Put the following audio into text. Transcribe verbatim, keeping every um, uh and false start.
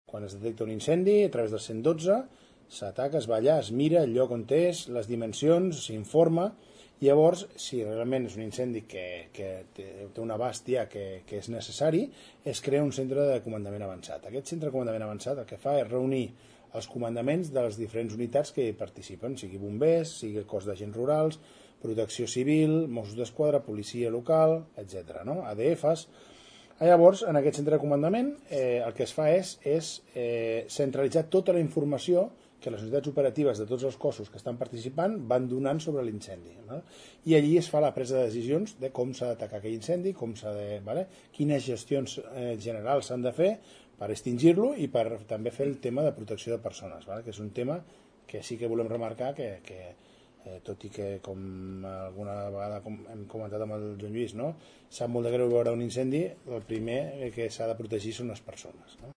quan es detecta un incendi, a través del cent dotze, s'ataca, es va allà, es mira el lloc on és, les dimensions, s'informa, i llavors, si realment és un incendi que, que té un abast ja que, que és necessari, es crea un centre de comandament avançat. Aquest centre de comandament avançat el que fa és reunir els comandaments de les diferents unitats que hi participen, sigui bombers, sigui el cos d'agents rurals, protecció civil, Mossos d'Esquadra, policia local, etcètera, no? A D Fs. Llavors, en aquest centre de comandament, eh, el que es fa és, és eh, centralitzar tota la informació que les unitats operatives de tots els cossos que estan participant van donant sobre l'incendi. No? I allí es fa la presa de decisions de com s'ha d'atacar aquell incendi, com s'ha de, vale? Quines gestions eh, generals s'han de fer per extingir-lo i per també fer el tema de protecció de persones, vale? Que és un tema que sí que volem remarcar que, que eh, tot i que, com alguna vegada com hem comentat amb el Joan Lluís, no? Sap molt de greu veure un incendi, el primer que s'ha de protegir són les persones. No?